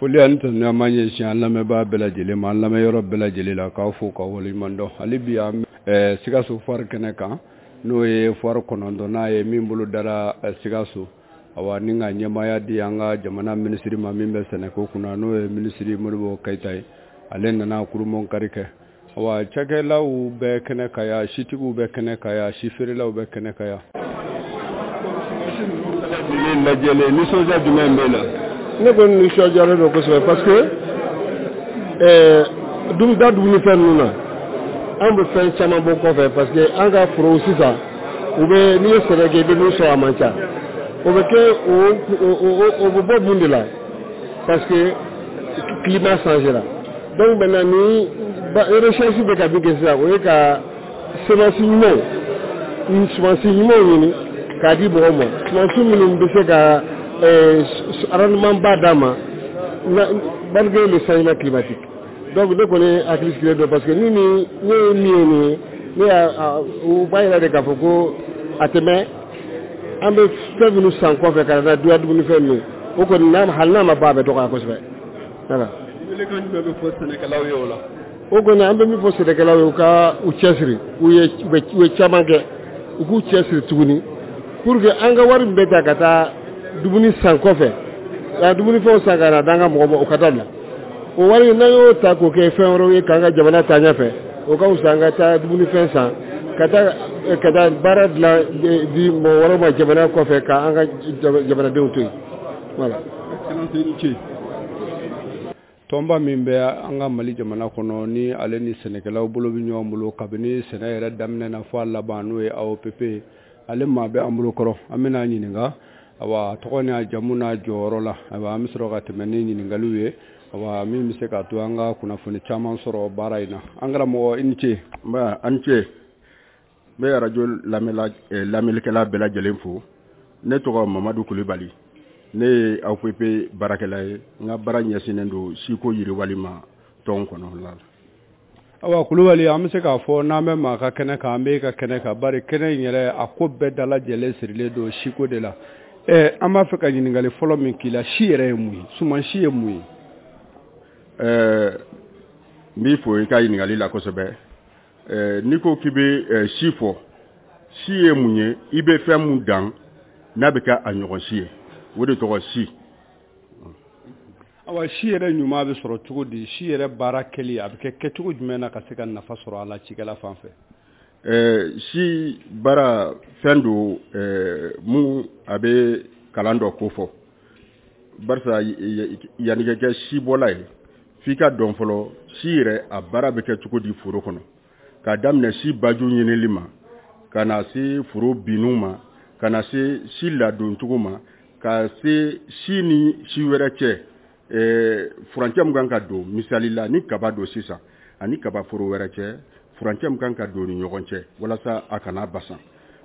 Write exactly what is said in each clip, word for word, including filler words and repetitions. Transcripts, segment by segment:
Foli ani tanuni an b'a ɲɛsin an lamɛnbaa bɛɛ lajɛlen ma, an lamɛnyɔrɔ bɛɛ lajɛlen la, k'aw fo k'aw waleɲuman dɔn. Hali bi an bɛ Sikaso foire kɛnɛ kan, n'o ye foire kɔnɔntɔnnan ye min bolo dara Sikaso. Awa, ni ka ɲɛmaaya di an ka jamana minisiri ma min bɛ sɛnɛko kunna, n'o ye minisiri Modibo Keyita ye. Ale nana kurunbonkari kɛ. Awa, cakɛlaw bɛ kɛnɛ kan yan, sitigiw bɛ kɛnɛ kan yan, si feerelaw bɛ kɛnɛ kan yan. Lajɛlen, nisɔndiya jumɛn b'e la? Ne kɔni nisɔndiyalen don kosɛbɛ, parce que ɛɛ da dumunifɛn ninnu na, an bɛ fɛn caman bɔ kɔfɛ, parce que an ka forow sisan, u bɛ, n'i ye sɛnɛ kɛ, i bɛ min sɔrɔ, a man ca. O bɛ kɛ, o o bɛ bɔ mun de la? Parce que climat changera. Donc maintenant, ni recherche bɛ ka min kɛ sisan, o ye ka semence ɲumanw semence ɲumanw ɲini k'a di mɔgɔw ma, semence minnu bɛ se ka rendement ba d'a ma malgré le changement climatique. Donc ne kɔni hakili sigilen don, parce que ni ni ne ye min ye nin ye, ne y'a u b'a yira de k'a fɔ ko a tɛ mɛn, an bɛ fɛn minnu san kɔfɛ ka na duya dumunifɛn ninnu, o kɔni n'a hali n'a ma ban, a bɛ dɔgɔya kosɛbɛ, voilà. Welekan jumɛn bɛ fɔ sɛnɛkɛlaw ye o la? O kɔni, an bɛ min fɔ sɛnɛkɛlaw ye, u ka u cɛsiri. U ye u ye caman kɛ, u k'u cɛsiri tuguni pour que an ka wari min bɛ ta ka taa dumuni san kɔfɛ, ka dumunifɛnw san ka na d'an ka mɔgɔ ma, o ka dabila. O wari, n'an y'o ta k'o kɛ fɛn wɛrɛw ye k'an ka jamana taa ɲɛfɛ, o ka fisa an ka taa dumunifɛn san ka taa ka taa baara dilan di mɔgɔ wɛrɛw ma jamana kɔfɛ, k'an ka jamanadenw to yen, voilà. Excellence, i ni ce. Tɔnba min bɛ an ka Mali jamana kɔnɔ, ni ale ni sɛnɛkɛlaw bolo bɛ ɲɔgɔn bolo kabini sɛnɛ yɛrɛ daminɛ na fɔ a laban, n'o ye A O P P, ale maa bɛ an bolo kɔrɔ. An bɛna ɲininka, awa, tɔgɔ ni a jamu n'a jɔyɔrɔ la. Ayiwa, an bɛ sɔrɔ ka tɛmɛ ni ɲininkaliw ye, awa, min bɛ se k'a to an ka kunnafoni caman sɔrɔ baara in na. An karamɔgɔ, i ni ce. Nba, an ce. N bɛ arajo lamɛnla lamɛnnikɛla bɛɛ lajɛlen fo. Ne tɔgɔ Mamadu Kulibali, ne ye A O P P baarakɛla ye. N ka baara ɲɛsinnen don siko yiriwali ma tɔn kɔnɔ la. Awa Kulubali, an bɛ se k'a fɔ n'an bɛ maa ka kɛnɛ kan, an bɛ ka kɛnɛ kan, bari kɛnɛ in yɛrɛ, a ko bɛɛ dalajɛlen sirilen don siko de la. Ɛ an b'a fɛ ka ɲininkali fɔlɔ min k'i la, si yɛrɛ ye mun ye? Suman si ye mun ye? Ɛɛ n b'i fo i ka ɲininkali la kosɛbɛ. Ɛɛ n'i ko k'i bɛ si fɔ, si ye mun ye? I bɛ fɛn mun dan n'a bɛ kɛ a ɲɔgɔn si ye, o de tɔgɔ si. Awa, si yɛrɛ ɲuman bɛ sɔrɔ cogo di? Si yɛrɛ baara kɛli, a bɛ kɛ kɛcogo jumɛn na ka se ka nafa sɔrɔ a la cikɛla fan fɛ? Ɛɛ si baara fɛn don ɛɛ mun a bɛ kalan dɔ ko fɔ, barisa yanni ka kɛ sibɔla ye, f'i ka dɔn fɔlɔ si yɛrɛ a baara bɛ kɛ cogo di foro kɔnɔ, k'a daminɛ si baju ɲinili ma, ka na se foro binniw ma, ka na se si ladon cogo ma, ka se si ni si wɛrɛ cɛ ɛɛ furancɛ min kan ka don. Misali la, ni kaba don sisan, ani kaba foro wɛrɛ cɛ, furancɛ min kan ka don ni ɲɔgɔn cɛ walasa a kana basan.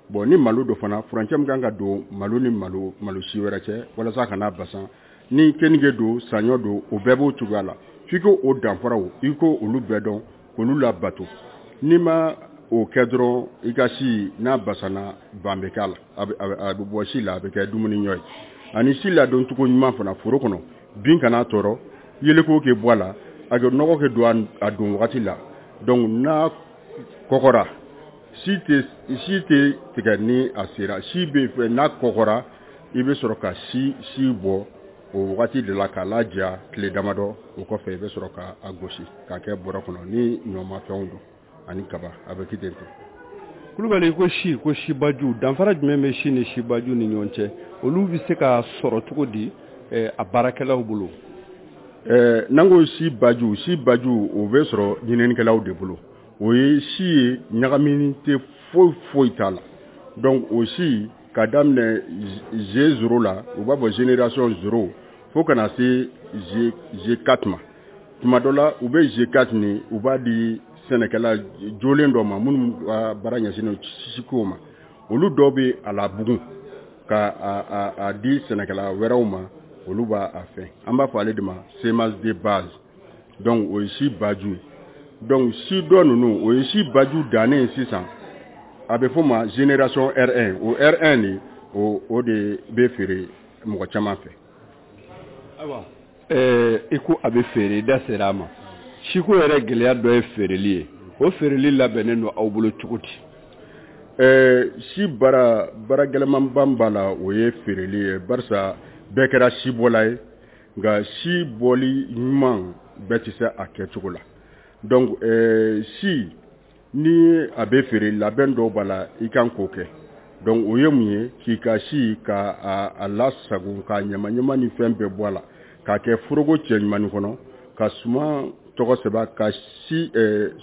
Bon, ni malo don fana, furancɛ min kan ka don malo ni malo malo si wɛrɛ cɛ walasa a kana basan. Ni keninge don, saɲɔ don, o bɛɛ b'o cogoya la. F'i ko o danfaraw, i ko olu bɛɛ dɔn k'olu labato. N'i ma o kɛ dɔrɔn, i ka si n'a basanna, ban bɛ k'a la, a bɛ bɔ si la, a bɛ kɛ dumuni ɲɔ ye. Ani si ladon cogo ɲuman fana foro kɔnɔ, bin kana tɔɔrɔ, yeeleko kɛ bɔ a la, a kɛ nɔgɔ kɛ don a don wagati la. Donc n'a kɔgɔra, si tɛ si tɛ tigɛ. Ni a sera, si bɛ fɛ, n'a kɔgɔra, i bɛ sɔrɔ ka si si bɔ o wagati de la k'a laja tile damadɔ. O kɔfɛ, i bɛ sɔrɔ ka a gosi k'a kɛ bɔrɛ kɔnɔ. Ni ɲɔmafɛnw don ani kaba, a bɛ kɛ ten ten. Kulubali, ko si, ko sibaju, danfara jumɛn bɛ si ni sibaju ni ɲɔgɔn cɛ? Olu bɛ se ka sɔrɔ cogo di a baarakɛlaw bolo? Ɛɛ n'an ko si baju, si baju, o bɛ sɔrɔ ɲininikɛlaw de bolo. O ye si ye, ɲagamini tɛ foyi foyi t'a la. Donc o si, ka daminɛ G zéro la, u b'a fɔ génération zéro, fo ka na se G G4 ma. Tuma dɔ la, u bɛ G quatre nin, u b'a di sɛnɛkɛla jolen dɔ ma minnu ka baara ɲɛsinnen siko ma. Olu dɔw bɛ a labugun ka a, a, a di sɛnɛkɛla wɛrɛw ma, olu b'a a fɛn. An b'a fɔ ale de ma semence de base. Donc o ye si baju ye. Donc si dɔ ninnu, o ye si baju dannen ye sisan, a bɛ f'o ma génération R un. O R un nin, o o de bɛ feere mɔgɔ caman fɛ. Ayiwa. Ɛɛ i ko a bɛ feere, i da sera a ma. Siko yɛrɛ gɛlɛya dɔ ye feereli ye. O feereli labɛnnen don aw bolo cogo di? Ɛɛ si baara baara gɛlɛmanba b'a la, o ye feereli ye, barisa bɛɛ kɛra sibɔla ye, nka si bɔli ɲuman bɛɛ tɛ se a kɛcogo la. Donc ɛɛ si ni a bɛ feere, labɛn dɔw b'a la i kan k'o kɛ. Donc o ye mun ye? K'i ka si ka a lasago, ka ɲamaɲama ni fɛn bɛɛ bɔ a la, k'a kɛ foroko cɛɲumannin kɔnɔ, ka suman tɔgɔ sɛbɛn, ka si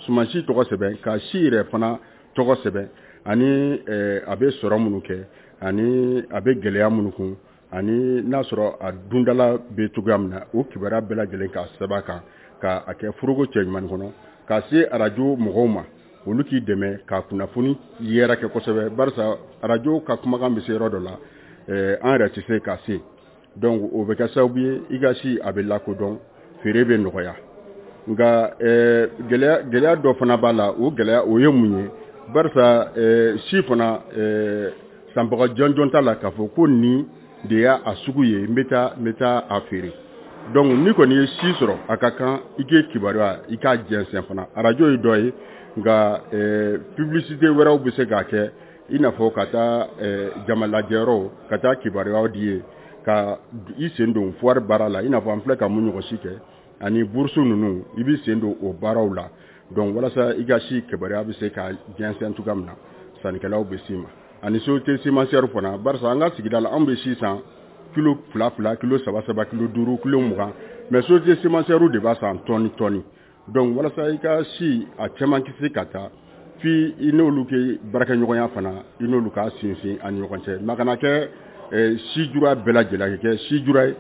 suman si tɔgɔ sɛbɛn, ka si yɛrɛ fana tɔgɔ sɛbɛn, ani a bɛ sɔrɔ minnu kɛ, ani a bɛ gɛlɛya minnu kun, ani n'a sɔrɔ a dundala bɛ cogoya min na, o kibaruya bɛɛ lajɛlen k'a sɛbɛn a kan, k'a kɛ foroko cɛɲumannin kɔnɔ, ka se arajo mɔgɔw ma, olu k'i dɛmɛ ka kunnafoni yɛrɛ kɛ kosɛbɛ, barisa arajo ka kumakan bɛ se yɔrɔ dɔ la, an yɛrɛ tɛ se ka se. Donc o bɛ kɛ sababu ye i ka si a bɛ lakodɔn, feere bɛ nɔgɔya. Nka gɛlɛya gɛlɛya dɔ fana b'a la, o gɛlɛya o ye mun ye? Barisa si fana sanbaga jɔnjɔn t'a la k'a fɔ ko nin de y'a a sugu ye, n bɛ taa n bɛ taa a feere. Donc n'i kɔni ye si sɔrɔ, a ka kan i k'e kibaruya i k'a jɛnsɛn fana. Arajo ye dɔ ye, nka publicité wɛrɛw bɛ se k'a kɛ, i n'a fɔ ka taa jamalajɛyɔrɔw, ka taa kibaruyaw di ye, ka i sen don foire baara la, i n'a fɔ an filɛ ka mun ɲɔgɔn si kɛ, ani bourse ninnu, i b'i sen don o baaraw la. Donc walasa i ka si kibaruya bɛ se ka jɛnsɛn cogoya min na, sannikɛlaw bɛ s'i ma. Ani société semencière fana, barisa an ka sigida la anw bɛ si san kilo fila fila, kilo saba saba, kilo duuru, kilo mugan, mais société semencière de b'a san tɔni tɔni. Donc walasa i ka si a caman kisi ka taa f'i i n'olu kɛ baarakɛɲɔgɔnya fana, i n'olu ka sinsin a ni ɲɔgɔn cɛ. Mais a kana kɛ si jura bɛɛ lajɛlen, ka kɛ si jura ye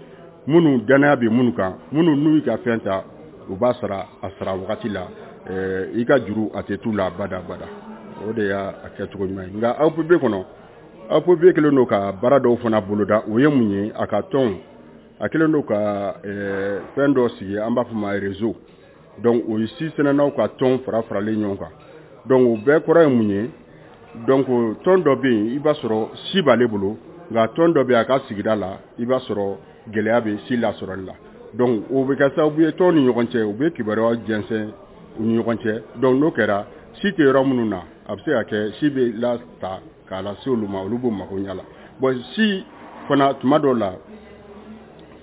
minnu danaya bɛ minnu kan, minnu n'u y'i ka fɛn ta u b'a sara a sara wagati la, i ka juru a tɛ t'u la bada bada. O de y'a kɛcogo ɲuman ye. Nka A O P B kɔnɔ, A O P B kɛlen don ka baara dɔw fana boloda. O ye mun ye? A ka tɔn a kɛlen don ka fɛn dɔ sigi, an b'a fɔ ma réseau. Donc o ye si sɛnɛnaw ka tɔn fara faralen ɲɔgɔn kan. Donc o bɛɛ kɔrɔ ye mun ye? Donc tɔn dɔ bɛ yen, i b'a sɔrɔ si b'ale bolo, nka tɔn dɔ bɛ a ka sigida la, i b'a sɔrɔ gɛlɛya bɛ si lasɔrɔli la. Donc o bɛ kɛ sababu ye tɔn ni ɲɔgɔn cɛ, u bɛ kibaruya jɛnsɛn u ni ɲɔgɔn cɛ. Donc n'o kɛra, si tɛ yɔrɔ minnu na, a bɛ se ka kɛ si bɛ lata k'a lase olu ma, olu b'u mago ɲɛ la. Bon si fana tuma dɔw la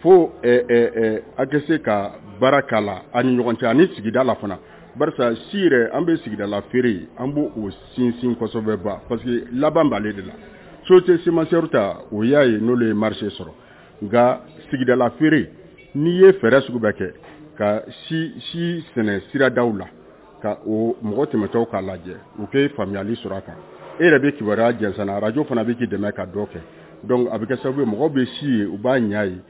fo a kɛ se ka baara k'a la a ni ɲɔgɔn cɛ ani sigida la fana, barisa si yɛrɛ an bɛ sigida la feere, an b'o o sinsin kosɛbɛ ba, parce que laban b'ale de la. Société semencière ta, o y'a ye n'olu ye marché sɔrɔ, nka sigida la feere, n'i ye fɛɛrɛ sugu bɛɛ kɛ ka si si sɛnɛ siradaw la, ka o mɔgɔ tɛmɛtɔw k'a lajɛ, u kɛ faamuyali sɔrɔ a kan, e yɛrɛ bɛ kibaruya jɛnsɛn na, arajo fana bɛ k'i dɛmɛ ka dɔ kɛ. Donc a bɛ kɛ sababu ye mɔgɔw bɛ si ye, u b'a ɲa ye,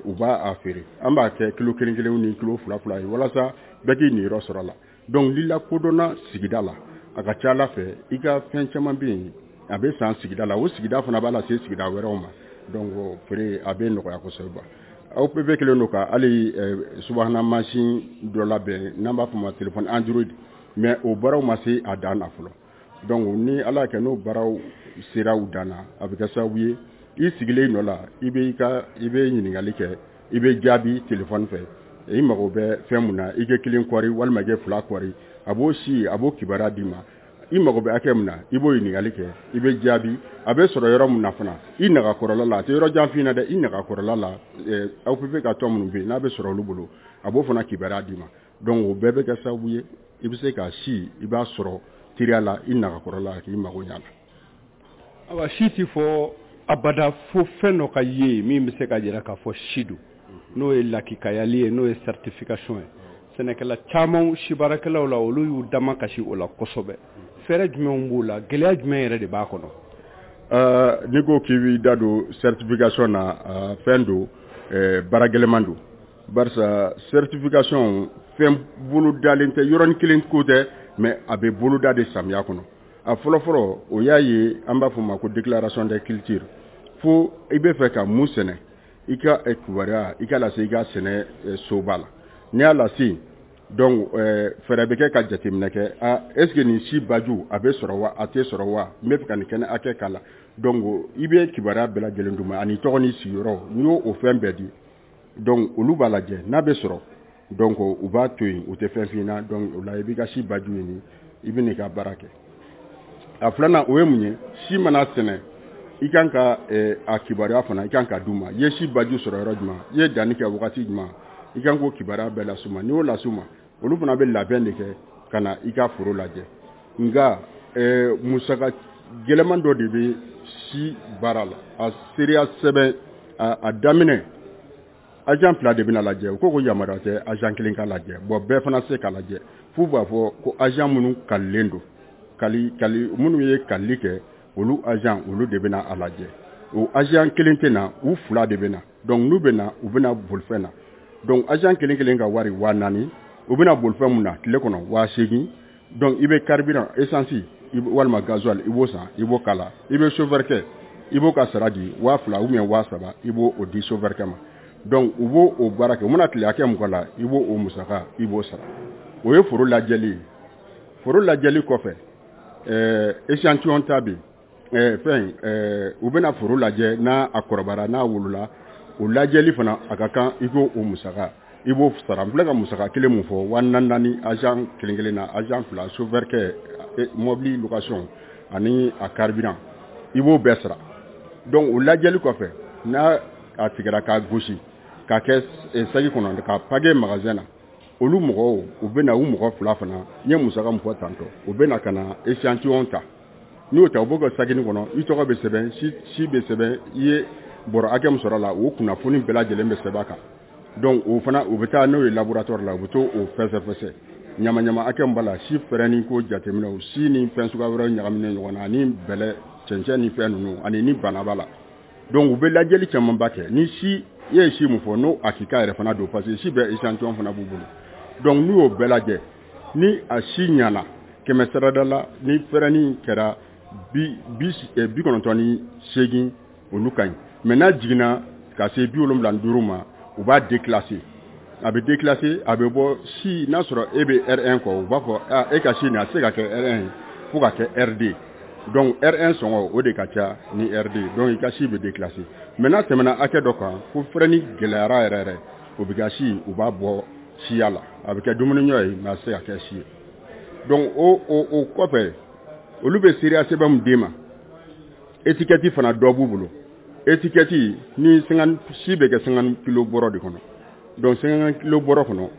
u b'a a feere. An b'a kɛ kilo kelen kelen ni kilo fila fila ye walasa bɛɛ k'i niyɔrɔ sɔrɔ a la. Donc n'i lakodɔnna sigida la, a ka ca Ala fɛ i ka fɛn caman bɛ yen a bɛ san sigida la, o sigida fana b'a lase sigida wɛrɛw ma. Donc feere a bɛ nɔgɔya kosɛbɛ. A O P B kɛlen don ka hali subahana mansin dɔ labɛn n'an b'a fɔ o ma téléphone Android, mais o baaraw ma se a dan na fɔlɔ. Donc ni Ala y'a kɛ n'o baaraw sera u dan na, a bɛ kɛ sababu ye i sigilen nɔ la, i bɛ i ka i bɛ ɲininkali kɛ, i bɛ jaabi téléphone fɛ, i mago bɛ fɛn mun na, i kɛ kelen kɔri walima i kɛ fila kɔri, a b'o si a b'o kibaruya d'i ma. I mago bɛ hakɛ min na, i b'o ɲininkali kɛ, i bɛ jaabi. A bɛ sɔrɔ yɔrɔ min na fana, i nagakɔrɔla la, a tɛ yɔrɔ jan f'i ɲɛna dɛ, i nagakɔrɔla la, A O P B ka tɔn minnu bɛ yen n'a bɛ sɔrɔ olu bolo, a b'o fana kibaruya d'i ma. Donc o bɛɛ bɛ kɛ sababu ye i bɛ se ka si i b'a sɔrɔ teliya la i nagakɔrɔla k'i mago ɲɛ a la. Awa, si ti fɔ abada fo fɛn dɔ ka ye min bɛ se ka jira k'a fɔ si don, n'o ye lakikayali ye, n'o ye certification ye. Sɛnɛkɛla caman, si baarakɛlaw la, olu y'u dama kasi o la kosɛbɛ. Fɛɛrɛ jumɛnw b'o la, gɛlɛya jumɛn yɛrɛ de b'a kɔnɔ? N'i ko k'i b'i da don certification na, fɛn don, baara gɛlɛman don, barisa certification fɛn bolodalen tɛ, yɔrɔnin kelen ko tɛ, mais a bɛ boloda de samiya kɔnɔ. A fɔlɔfɔlɔ o y'a ye an b'a fɔ o ma ko déclaration des cultures. Fo i bɛ fɛ ka mun sɛnɛ, i ka kibaruya i ka lase i ka sɛnɛ soba la. N'i y'a lase, donc fɛɛrɛ bɛ kɛ ka jateminɛ kɛ, a est ce que nin si baju a bɛ sɔrɔ wa, a tɛ sɔrɔ wa, n bɛ fɛ ka nin kɛnɛ hakɛ k'a la. Donc i bɛ kibaruya bɛɛ lajɛlen d'u ma, ani tɔgɔ ni sigiyɔrɔ, n'i y'o o fɛn bɛɛ di. Donc olu b'a lajɛ n'a bɛ sɔrɔ, donc u b'a to yen, u tɛ fɛn f'i ɲɛna. Donc o la i b'i ka si baju ɲini, i bɛ n'i ka baara kɛ. A filanan, o ye mun ye? Si mana sɛnɛ, i kan ka a kibaruya fana i kan ka d'u ma. I ye si baju sɔrɔ yɔrɔ jumɛn, i ye danni kɛ wagati jumɛn, i kan k'o kibaruya bɛɛ las'u ma. N'i y'o las'u ma, olu fana bɛ labɛn de kɛ ka na i ka foro lajɛ. Nka musaka gɛlɛman dɔ de bɛ si baara la. A seereya sɛbɛn a daminɛ, agent fila de bɛna lajɛ. U ko ko yamaruya tɛ agent kelen ka lajɛ. Bon, bɛɛ fana se ka lajɛ, f'u b'a fɔ ko agent minnu kalilen don, kali kali minnu ye kalili kɛ, olu agent, olu de bɛna a lajɛ. O agent kelen tɛ na, u fila de bɛ na. Donc n'u bɛ na, u bɛna bolifɛn na. Donc agent kelen kelen ka wari waa naani. U bɛna bolifɛn mun na tile kɔnɔ, waa seegin. Donc i bɛ carburant, essence walima gasoil, i b'o san, i b'o k'a la. I bɛ chauffeur kɛ, i b'o ka sara di, waa fila ou bien waa saba, i b'o o di chauffeur kɛ ma. Donc u b'o o baara kɛ. U mana tile hakɛ mun k'a la, i b'o o musaka, i b'o sara. O ye foro lajɛli ye. Foro lajɛli kɔfɛ, ɛɛ échantillon ta bɛ yen. ɛɛ fɛn ɛɛ u bɛna foro lajɛ, n'a a kɔrɔbayara, n'a wolola, o lajɛli fana a ka kan, i k'o o musaka, i b'o sara. N filɛ ka musaka kelen mun fɔ, waa naani naani agent kelen kelen na, agent fila, chauffeur kɛ, mobili location ani a carburant, i b'o bɛɛ sara. Donc o lajɛli kɔfɛ, n'a a tigɛra k'a gosi k'a kɛ saki kɔnɔ k'a paquet magasin na, olu mɔgɔw, u bɛ na, u mɔgɔ fila fana, n ye musaka min fɔ tantɔ, u bɛ na ka na échantillon ta. N'i y'o ta, u b'o kɛ sakini kɔnɔ, i tɔgɔ bɛ sɛbɛn, si si bɛ sɛbɛn, i ye bɔrɔ hakɛ min sɔrɔ a la, o kunnafoni bɛɛ lajɛlen bɛ sɛbɛn a kan. Donc o fana, u bɛ taa n'o ye laboratoire la, u bɛ t'o fɛsɛfɛsɛ, ɲamaɲama hakɛ min b'a la, si fɛrɛni ko jateminɛ, si ni fɛn suguya wɛrɛw ɲagaminen ɲɔgɔn na, ani bɛlɛ, cɛncɛn ni fɛn ninnu, ani ni bana b'a la. Donc u bɛ lajɛli camanba kɛ. Ni si i ye si mun fɔ, n'o hakika yɛrɛ fana don, parce que si bɛɛ échantillon fana b'u bolo. Donc n'u y'o bɛɛ lajɛ, ni a si ɲana kɛmɛ sarada la, ni fɛrɛni kɛra bi bi bi kɔnɔntɔn ni seegin, olu ka ɲi. Mais n'a jiginna ka se bi wolonwula ni duuru ma, u b'a déclasser. A bɛ déclasser, a bɛ bɔ si. N'a sɔrɔ e bɛ R un kɔ, u b'a fɔ ah, e ka si nin, a tɛ se ka kɛ R un ye, fo ka kɛ R deux. Donc R un sɔngɔ, o de ka ca ni R deux. Donc i ka si bɛ déclasser. Mais n'a tɛmɛna hakɛ dɔ kan, ko fɛrɛni gɛlɛyara yɛrɛ yɛrɛ, o bɛ ka si, u b'a bɔ siya la, a bɛ kɛ dumuni ɲɔ ye, mais a tɛ se ka kɛ si ye. Donc o o o kɔfɛ, olu bɛ seereya sɛbɛn min d'e ma, étiquette fana dɔ b'u bolo. Étiquette ni cinquante, si bɛ kɛ cinquante kilo bɔrɔ de kɔnɔ. Donc cinquante kilo bɔrɔ kɔnɔ,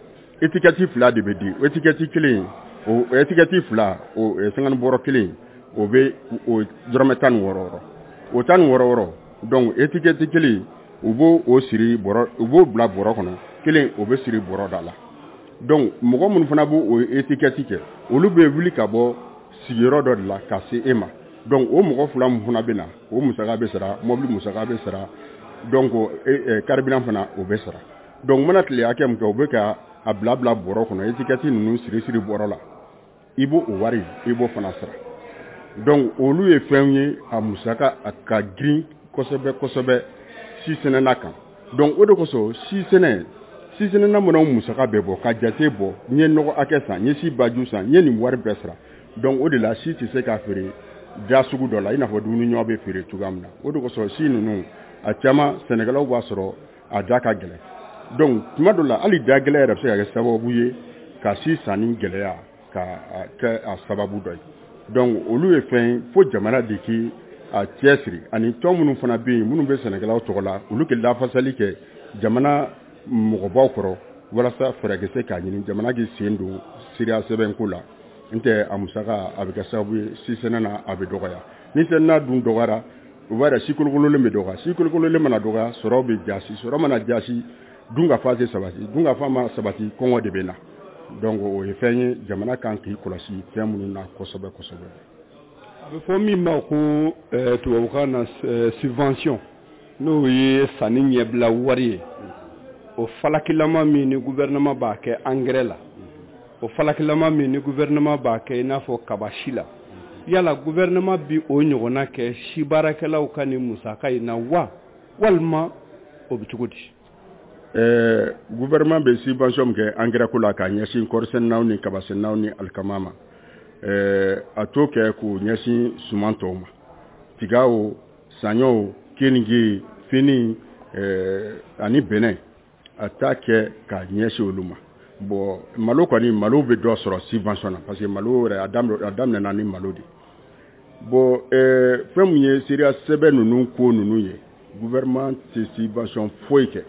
étiquette fila de bɛ di. Étiquette kelen, o étiquette fila, o cinquante bɔrɔ kelen, o bɛ o dɔrɔmɛ tan ni wɔɔrɔ wɔɔrɔ, o tan ni wɔɔrɔ wɔɔrɔ. Donc étiquette kelen, u b'o o siri bɔrɔ, u b'o bila bɔrɔ kɔnɔ, kelen o bɛ siri bɔrɔ da la. Donc mɔgɔ minnu fana b'o o étiquette kɛ, olu bɛ wuli ka bɔ sigiyɔrɔ dɔ de la ka se e ma. Donc o mɔgɔ fila min fana bɛ na, o musaka bɛ sara, mobili musaka bɛ sara, donc carburant fana, o bɛ sara. Donc mana tile hakɛ min kɛ, u bɛ ka a bila bila bɔrɔ kɔnɔ, étiquette ninnu siri siri bɔrɔ la, i b'o o wari, i b'o fana sara. Donc olu ye fɛnw ye, a musaka a ka girin kosɛbɛ kosɛbɛ si sɛnɛna kan. Donc o de kosɔn, si sɛnɛ si sɛnɛna mana musaka bɛɛ bɔ ka jate bɔ, n ye nɔgɔ hakɛ san, n ye si baju san, n ye nin wari bɛɛ sara. Donc o de la, si tɛ se k'a feere da sugu dɔ la i n'a fɔ dumuni ɲɔ bɛ feere cogoya min na. O de kosɔn, si ninnu a caman, sɛnɛkɛlaw b'a sɔrɔ a da ka gɛlɛn. Donc tuma dɔ la, hali da gɛlɛn yɛrɛ bɛ se ka kɛ sababu ye ka si sanni gɛlɛya ka kɛ a sababu dɔ ye. Donc olu ye fɛn fo jamana de k'i a cɛsiri, ani tɔn minnu fana bɛ yen, minnu bɛ sɛnɛkɛlaw tɔgɔ la, olu k'i lafasali kɛ jamana mɔgɔbaw kɔrɔ, walasa fɛɛrɛ kɛ se k'a ɲini jamana k'i sen don seereya sɛbɛnko la. N tɛ a musaka, a bɛ kɛ sababu ye si sɛnɛ na a bɛ dɔgɔya. Ni sɛnɛ dun dɔgɔyara, o b'a yira si kolokololen bɛ dɔgɔya. Si kolokololen mana dɔgɔya, sɔrɔ bɛ jasi. Sɔrɔ mana jasi, dun ka fa tɛ sabati. Dun ka fa ma sabati, kɔngɔ de bɛ na. Donc o ye fɛn ye jamana kan k'i kɔlɔsi fɛn minnu na kosɛbɛ kosɛbɛ. A bɛ fɔ min ma ko tubabukan na subvention, n'o ye sanni ɲɛbila wari ye, o falakilama min ni gouvernement b'a kɛ engrais la, o falakilama min ni gouvernement b'a kɛ i n'a fɔ kabasi la, yala gouvernement bi o ɲɔgɔnna kɛ si baarakɛlaw ka nin musaka in na wa, walima o bɛ cogo di? Ɛɛ gouvernement bɛ subvention min kɛ engrais ko la k'a ɲɛsin kɔɔrisɛnɛnaw ni kabasɛnɛnaw ni alikama ma, ɛɛ a t'o kɛ k'o ɲɛsin suman tɔw ma, tiga o, saɲɔ o, keninge, fini, ɛɛ ani bɛnɛ. A t'a kɛ k'a ɲɛsin olu ma. Bon, malo kɔni, malo bɛ dɔ sɔrɔ subvention na, parce que malo yɛrɛ, a daminɛna ni malo de. Bon, ɛɛ fɛn min ye seereya sɛbɛn ninnu ko ninnu ye, gouvernement tɛ subvention foyi kɛ.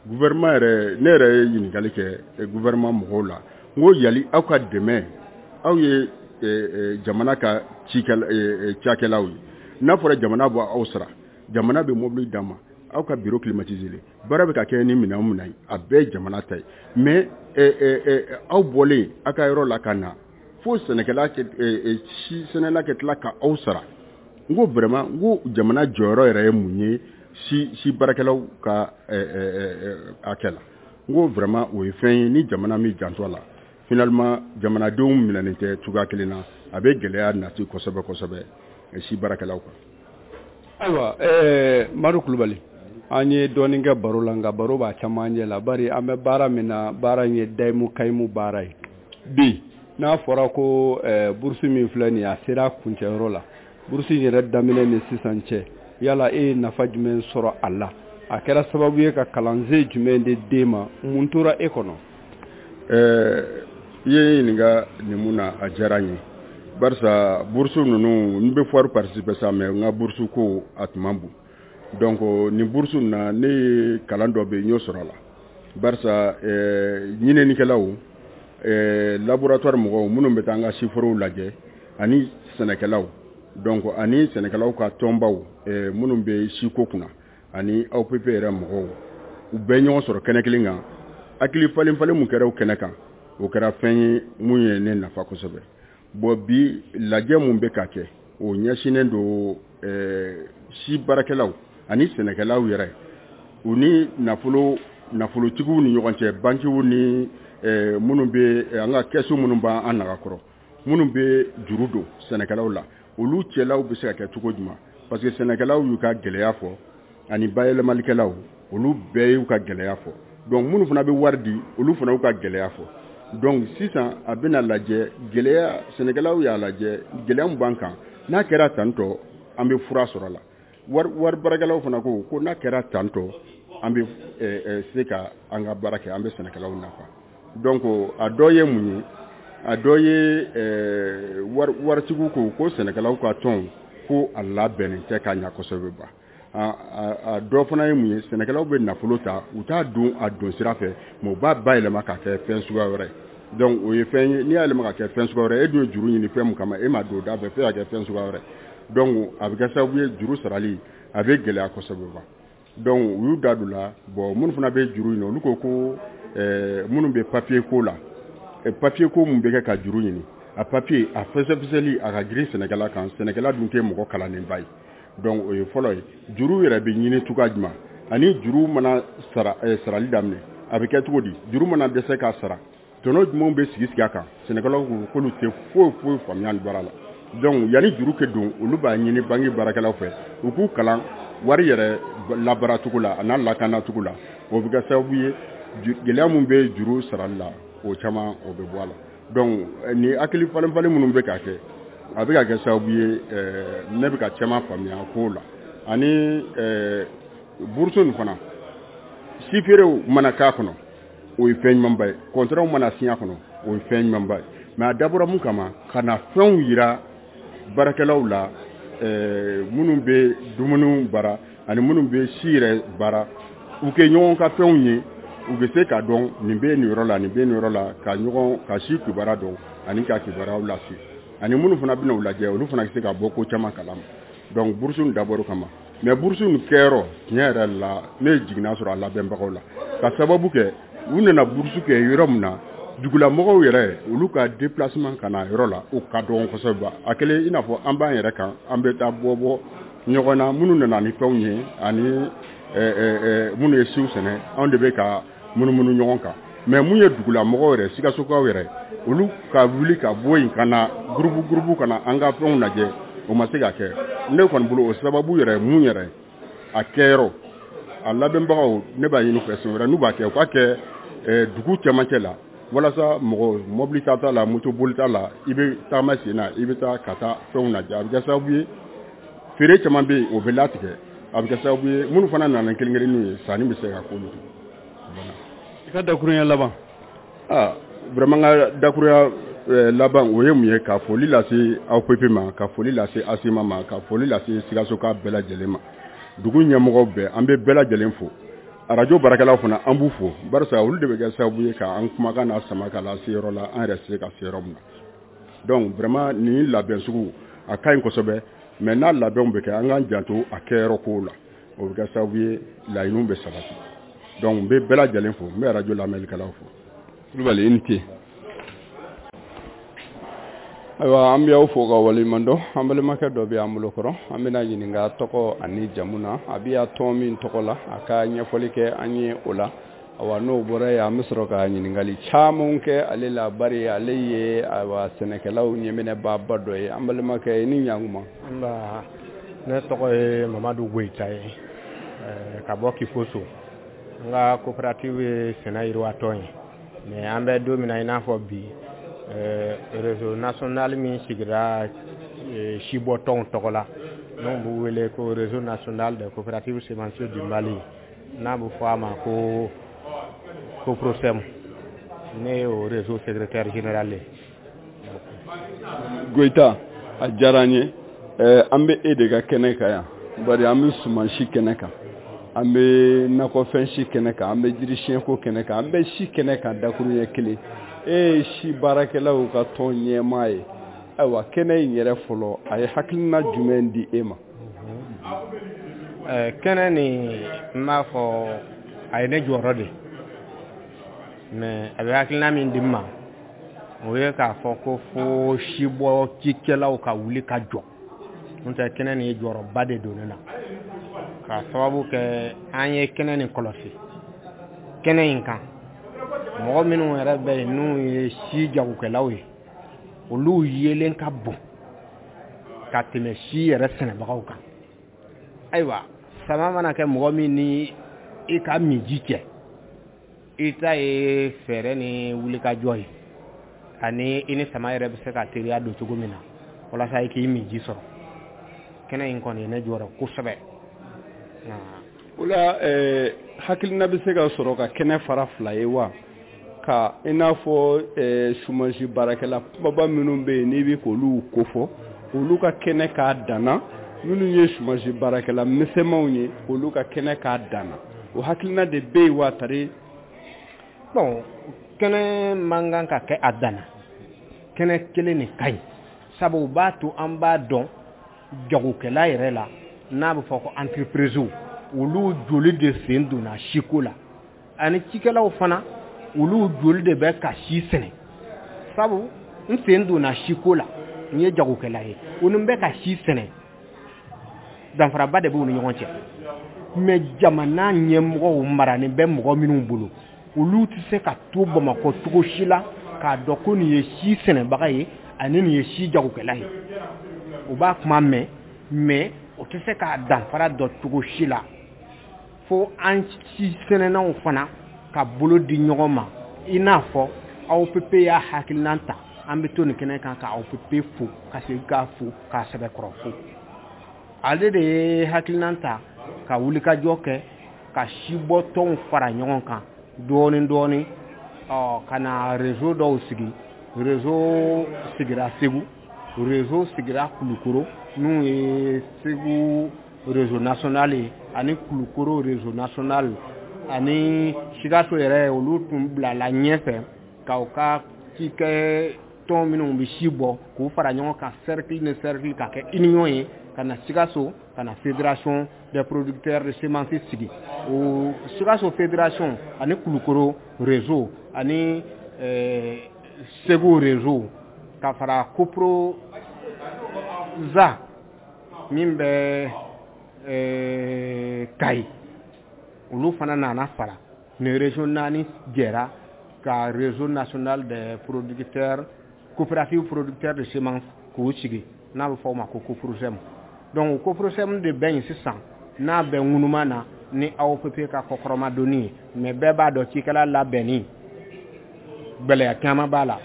Gouvernement yɛrɛ, ne yɛrɛ ye ɲininkali kɛ gouvernement mɔgɔw la, n ko yali aw ka dɛmɛ, aw ye jamana ka cikɛla cakɛlaw ye, n'a fɔra jamana bɔ aw sara, jamana bɛ mobili d'a ma, aw ka bureau climatisé, baara bɛ ka kɛ ni minɛn o minɛn ye, a bɛɛ ye jamana ta ye. Mais aw bɔlen aw ka yɔrɔ la ka na fo sɛnɛkɛla, si sɛnɛla kɛ tila ka aw sara, n ko vraiment, n ko jamana jɔyɔrɔ yɛrɛ ye mun ye si si baarakɛlaw ka hakɛ la? N ko vraiment, o ye fɛn ye ni jamana min janto a la. Finalement, jamanadenw minɛnen tɛ cogoya kelen na, a bɛ gɛlɛya nati kosɛbɛ kosɛbɛ si baarakɛlaw kan. Ayiwa, ɛɛ Madu Kulubali, an ye dɔɔnin kɛ baro la, nka baro b'a camancɛ la, bari an bɛ baara min na, baara in ye dayimu kayimu baara ye. Bi n'a fɔra ko ɛɛ bourse min filɛ nin ye, a sera a kuncɛyɔrɔ la, bourse in yɛrɛ daminɛ ni sisan cɛ, yala e ye nafa jumɛn sɔrɔ a la? A kɛra sababu ye ka kalansen jumɛn de d'e ma? Mun tora e kɔnɔ? Ɛɛ i ye ɲininka nin mun na, a diyara n ye, barisa bourse ninnu, n bɛ foire participer sa, mais n ka bourse ko a tun man bon. Donc nin bourse na, ne ye kalan dɔ bɛ yen, n y'o sɔrɔ a la, barisa ɛɛ ɲininikɛlaw, ɛɛ laboratoire mɔgɔw minnu bɛ taa an ka siforow lajɛ, ani sɛnɛkɛlaw, donc ani sɛnɛkɛlaw ka tɔnbaw ɛɛ minnu bɛ siko kunna, ani A O P P yɛrɛ mɔgɔw, u bɛɛ ɲɔgɔn sɔrɔ kɛnɛ kelen kan. Hakili falen falen mun kɛra o kɛnɛ kan, o kɛra fɛn ye mun ye ne nafa kosɛbɛ. Bon, bi lajɛ mun bɛ ka kɛ, o ɲɛsinnen don ɛɛ si baarakɛlaw ani sɛnɛkɛlaw yɛrɛ, u ni nafolo nafolotigiw ni ɲɔgɔn cɛ, bankiw ni ɛɛ minnu bɛ an ka kɛsu minnu b'an naga kɔrɔ, minnu bɛ juru don sɛnɛkɛlaw la, olu cɛlaw bɛ se ka kɛ cogo jumɛn? Parce que sɛnɛkɛlaw y'u ka gɛlɛya fɔ, ani bayɛlɛmalikɛlaw, olu bɛɛ y'u ka gɛlɛya fɔ. Donc minnu fana bɛ wari di, olu fana y'u ka gɛlɛya fɔ. Donc sisan a bɛna lajɛ gɛlɛya, sɛnɛkɛlaw y'a lajɛ gɛlɛya min b'an kan, n'a kɛra tantɔ, an bɛ fura sɔrɔ a la. Wari wari baarakɛlaw fana ko ko n'a kɛra tantɔ, an bɛ se ka an ka baara kɛ, an bɛ sɛnɛkɛlaw nafa. Donc a dɔ ye mun ye? A dɔ ye wari waritigiw ko ko sɛnɛkɛlaw ka tɔn ko a labɛnnen tɛ ka ɲɛ kosɛbɛ ba. A dɔ fana ye mun ye? Sɛnɛkɛlaw bɛ nafolo ta, u t'a don a don sira fɛ, mais u b'a bayɛlɛma k'a kɛ fɛn suguya wɛrɛ ye. Donc o ye fɛn ye, n'i y'a yɛlɛma ka kɛ fɛn suguya wɛrɛ, e dun ye juru ɲini fɛn min kama, e m'a don o da fɛ, f'e y'a kɛ fɛn suguya wɛrɛ. Donc a bɛ kɛ sababu ye juru sarali a bɛ gɛlɛya kosɛbɛ ba. Donc u y'u da don la. Bon, minnu fana bɛ juru ɲini, olu ko ko ɛɛ minnu bɛ papier ko la, papier ko mun bɛ kɛ ka juru ɲini, a papier a fɛsɛfɛsɛli a ka girin sɛnɛkɛla kan, sɛnɛkɛla dun tɛ mɔgɔ kalannenba ye. Donc o ye fɔlɔ ye. Juru yɛrɛ bɛ ɲini cogoya jumɛn? Ani juru mana sara sarali daminɛ, a bɛ kɛ cogo di? Juru mana dɛsɛ k'a sara, tɔnɔ jumɛnw bɛ sigi sigi a kan? Sɛnɛkɛlaw ko k'olu tɛ foyi foyi faamuya nin baara la. Donc yanni juru kɛ don, olu b'a ɲini banque baarakɛlaw fɛ, u k'u kalan wari yɛrɛ labaara cogo la, a n'a lakana cogo la. O bɛ kɛ sababu ye gɛlɛya mun bɛ juru sarali la, o caman o bɛ bɔ a la. Donc ni hakili falen falen minnu bɛ ka kɛ, a bɛ ka kɛ sababu ye ne bɛ ka caman faamuya kow la. Ani bourse nin fana, si feerew mana k'a kɔnɔ, o ye fɛn ɲumanba ye. Contrat mana signé a kɔnɔ, o ye fɛn ɲumanba ye. Mais a dabɔra mun kama? Ka na fɛnw yira baarakɛlaw la, minnu bɛ dumuniw baara ani minnu bɛ si yɛrɛ baara, u kɛ ɲɔgɔn ka fɛnw ye, u bɛ se k'a dɔn nin bɛ nin yɔrɔ la, nin bɛ nin yɔrɔ la, ka ɲɔgɔn ka si kibaruya dɔn ani ka kibaruyaw lase. Ani minnu fana bɛna u lajɛ, olu fana bɛ se ka bɔ ko caman kalama. Donc bourse nin dabɔra o kama. Mais bourse nin kɛyɔrɔ, tiɲɛ yɛrɛ la, ne ye jiginna sɔrɔ a labɛnbagaw la, ka sababu kɛ u nana bourse kɛ yɔrɔ min na, dugulamɔgɔw yɛrɛ, olu ka déplacement ka na yɔrɔ la, o ka dɔgɔn kosɛbɛ. A kɛlen i n'a fɔ an b'an yɛrɛ kan, an bɛ taa bɔ bɔ ɲɔgɔn na, minnu nana ni fɛnw ye ani minnu ye siw sɛnɛ, anw de bɛ ka munumunu ɲɔgɔn kan. Mais mun ye dugulamɔgɔw yɛrɛ, Sikasokaw yɛrɛ, olu ka wuli ka bɔ yen ka na groupe groupe ka na an ka fɛnw lajɛ, o ma se ka kɛ. Ne kɔni bolo, o sababu yɛrɛ mun yɛrɛ a kɛyɔrɔ, a labɛnbagaw, ne b'a ɲini u fɛ siɲɛ wɛrɛ n'u b'a kɛ, u k'a kɛ dugu cɛmancɛ la, walasa mɔgɔ mobili ta t'a la, moto boli t'a la, i bɛ taama sen na, i bɛ taa ka taa fɛnw lajɛ. A bɛ kɛ sababu ye feere caman bɛ yen, o bɛ latigɛ. A bɛ kɛ sababu ye minnu fana nana kelen kelenninw ye, sanni bɛ se ka k'olu kun. I ka dakurunya laban. Aa, vraiment, n ka dakurunya laban, o ye mun ye? Ka foli lase A O P P ma, ka foli lase ASEMA ma, ka foli lase Sikasoka bɛɛ lajɛlen ma, dugu ɲɛmɔgɔw bɛɛ, an bɛ bɛɛ lajɛlen fo. Arajo baarakɛlaw fana, an b'u fo, barisa olu de bɛ kɛ sababu ye k'an kumakan n'a sama ka lase yɔrɔ la, an yɛrɛ se ka se yɔrɔ min na. Donc vraiment, nin labɛn sugu a ka ɲi kosɛbɛ, mais n'a labɛnw bɛ kɛ, an k'an janto a kɛyɔrɔ kow la, o bɛ kɛ sababu ye laɲiniw bɛ sabati. Donc n bɛ bɛɛ lajɛlen fo, n bɛ arajo lamɛnnikɛlaw fo. Kulubali, i ni ce. Ayiwa, an bɛ aw fo ka waleɲuman dɔn. An balimakɛ dɔ bɛ an bolo kɔrɔ, an bɛna ɲininka tɔgɔ ani jamu na, a bɛ ya tɔn min tɔgɔ la, a ka ɲɛfɔli kɛ an ye o la. Awa, n'o bɔra yen, an bɛ sɔrɔ ka ɲininkali caman kɛ ale la, bari ale ye, ayiwa, sɛnɛkɛlaw ɲɛminɛbaaba dɔ ye. An balimakɛ, i ni ɲankuma. Nba, ne tɔgɔ ye Mamadu Goyita ye ka bɔ Kifoso. N ka coopérative ye sɛnɛ yiriwatɔn ye, mais an bɛ don min na i n'a fɔ bi, réseau national min sigira sibɔtɔnw tɔgɔ la, n'o b'u wele ko Réseau national des coopératives semencières du Mali, n'a bɛ fɔ a ma ko COPROSEM, ne ye o réseau secrétaire général ye. Goyita, a diyara n ye. An bɛ e de ka kɛnɛ kan yan, bari an bɛ sumansi kɛnɛ kan, an bɛ nakɔfɛn si kɛnɛ kan, an bɛ jirisiyɛnko kɛnɛ kan, an bɛ si kɛnɛ kan dakuruɲɛ kelen. E ye si baarakɛlaw ka tɔn ɲɛmaa ye. Ayiwa, kɛnɛ in yɛrɛ fɔlɔ, a ye hakilina jumɛn di e ma? Kɛnɛ nin, n b'a fɔ a ye ne jɔyɔrɔ de, mais a bɛ hakilina min di n ma, o ye k'a fɔ ko fo sibɔ cikɛlaw ka wuli ka jɔ. N'o tɛ, kɛnɛ nin ye jɔyɔrɔba de don ne la, k'a sababu kɛ an ye kɛnɛ nin kɔlɔsi. Kɛnɛ in kan, mɔgɔ minnu yɛrɛ bɛ yen n'u ye si jagokɛlaw ye, olu yelen ka bon ka tɛmɛ si yɛrɛ sɛnɛbagaw kan. Ayiwa, sama mana kɛ mɔgɔ min ni i ka minji cɛ, i ta ye fɛɛrɛ ni wulikajɔ ye, ani i ni sama yɛrɛ bɛ se ka teriya don cogo min na walasa i k'i minji sɔrɔ. Kɛnɛ in kɔni ye ne jɔyɔrɔ kosɛbɛ. O la, hakilina bɛ se ka sɔrɔ ka kɛnɛ fara fila ye wa, ka i n'a fɔ sumansi baarakɛla kumaba minnu bɛ yen n'i bɛ k'olu kofɔ, olu ka kɛnɛ k'a danna, minnu ye sumansi baarakɛla misɛnmanw ye, olu ka kɛnɛ k'a danna, o hakilina de bɛ yen wa tari? Bon, kɛnɛ man kan ka kɛ a danna, kɛnɛ kelen de ka ɲi, sabu o b'a to an b'a dɔn jagokɛla yɛrɛ la, n'a bɛ fɔ ko entreprise, olu joli de sen donna siko la, ani cikɛlaw fana, olu joli de bɛ ka si sɛnɛ. Sabu n sen donna siko la, n ye jagokɛla ye, o ni n bɛ ka si sɛnɛ, danfaraba de b'u ni ɲɔgɔn cɛ. Mais jamana ɲɛmɔgɔw maranen bɛ mɔgɔ minnu bolo, olu tɛ se ka to Bamakɔ cogo si la k'a dɔn ko nin ye si sɛnɛbaga ye ani nin ye si jagokɛla ye. U b'a kuma mɛn, mais o tɛ se k'a danfara dɔn cogo si la, fo an si sɛnɛnaw fana ka bolo di ɲɔgɔn ma. I n'a fɔ A O P P y'a hakilina ta, an bɛ to nin kɛnɛ kan ka A O P P fo, ka segin k'a fo, k'a sɛbɛkɔrɔ fo. Ale de ye hakilina ta ka wulikajɔ kɛ ka sibɔtɔnw fara ɲɔgɔn kan dɔɔni dɔɔni, ɔ ka na réseau dɔw sigi. Réseau sigira Segu, réseau sigira Kulukoro, n'u ye Segu réseau national ye ani Kulukoro réseau national, ani Sikaso yɛrɛ. Olu tun bilala ɲɛfɛ ka u ka cikɛ tɔn minnu bɛ si bɔ k'u fara ɲɔgɔn kan, cercle ni cercle, ka kɛ union ye, ka na Sikaso, ka na Fédération des producteurs de semences sigi. O Sikaso fédération ani Kulukoro réseau ani Segu réseau, ka fara Coproza min bɛ Kayi, olu fana nana fara. Nin région naani jɛra ka Réseau national des producteurs, coopérative producteurs de semences k'o sigi, n'a bɛ fɔ o ma ko COPROSEM. Donc COPROSEM de bɛ yen sisan, n'a bɛ ŋunuma na ni A O P P ka kɔkɔrɔmadonni ye. Mais bɛɛ b'a dɔn, cikɛla labɛnni gɛlɛya caman b'a la.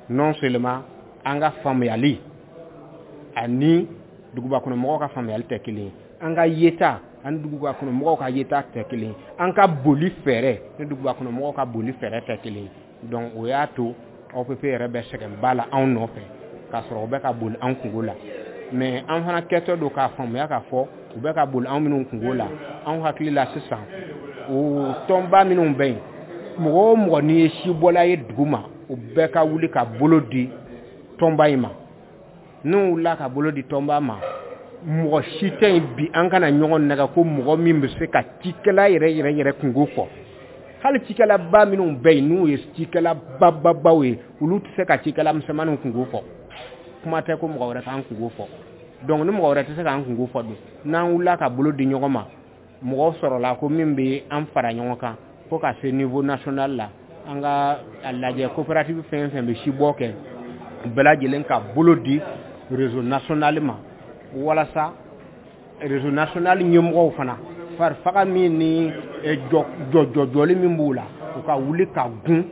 Non seulement an ka faamuyali ani dugubakɔnɔmɔgɔw ka faamuyali tɛ kelen ye, an ka yeta Ani duguba kɔnɔ mɔgɔw ka yeta tɛ kelen ye, an ka boli fɛɛrɛ ni duguba kɔnɔ mɔgɔw ka boli fɛɛrɛ tɛ kelen ye. Donc o y'a to A O P P yɛrɛ bɛ sɛgɛnba la anw nɔfɛ, k'a sɔrɔ u bɛ ka boli an kungo la. Mais an fana kɛtɔ don k'a faamuya k'a fɔ u bɛ ka boli anw minnu kungo la, anw hakili la sisan, o tɔnba minnu bɛ yen, mɔgɔ o mɔgɔ n'i ye sibɔla ye dugu ma, o bɛɛ ka wuli ka bolo di tɔnba in ma. N'u wulila ka bolo di tɔnba ma, mɔgɔ si tɛ yen bi, an kana ɲɔgɔn nɛgɛ ko mɔgɔ min bɛ se ka cikɛla yɛrɛ yɛrɛ yɛrɛ kungo fɔ. Hali cikɛlaba minnu bɛ yen, n'u ye cikɛla bababaw ye, olu tɛ se ka cikɛla misɛnmaninw kungo fɔ, kuma tɛ ko mɔgɔ wɛrɛ k'an kungo fɔ. Donc ni mɔgɔ wɛrɛ tɛ se k'an kungo fɔ dun, n'an wulila ka bolo di ɲɔgɔn ma, mɔgɔ sɔrɔla ko min bɛ an fara ɲɔgɔn kan fo ka se niveau national la, an ka a lajɛ coopérative fɛn fɛn bɛ sibɔ kɛ, bɛɛ lajɛlen ka bolo di réseau national ma, walasa réseau national ɲɛmɔgɔw fana, farifaga min ni jɔ jɔjɔli min b'u la, u ka wuli ka gun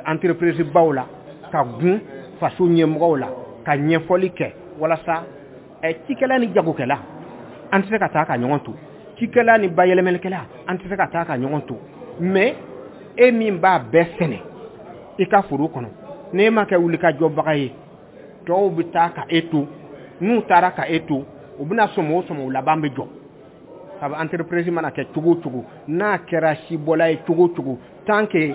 entreprise baw la, ka gun faso ɲɛmɔgɔw la, ka ɲɛfɔli kɛ, walasa cikɛla ni jagokɛla, an tɛ se ka taa ka ɲɔgɔn to, cikɛla ni bayɛlɛmalikɛla, an tɛ se ka taa ka ɲɔgɔn to. Mais e min b'a bɛɛ sɛnɛ i ka foro kɔnɔ, n'e ma kɛ wulikajɔbaga ye, tɔw bɛ taa ka e to. N'u taara ka e to, u bɛna sɔmɔ o sɔmɔ, o laban bɛ jɔ. Sabu entreprise mana kɛ cogo o cogo, n'a kɛra sibɔla ye cogo o cogo, tant que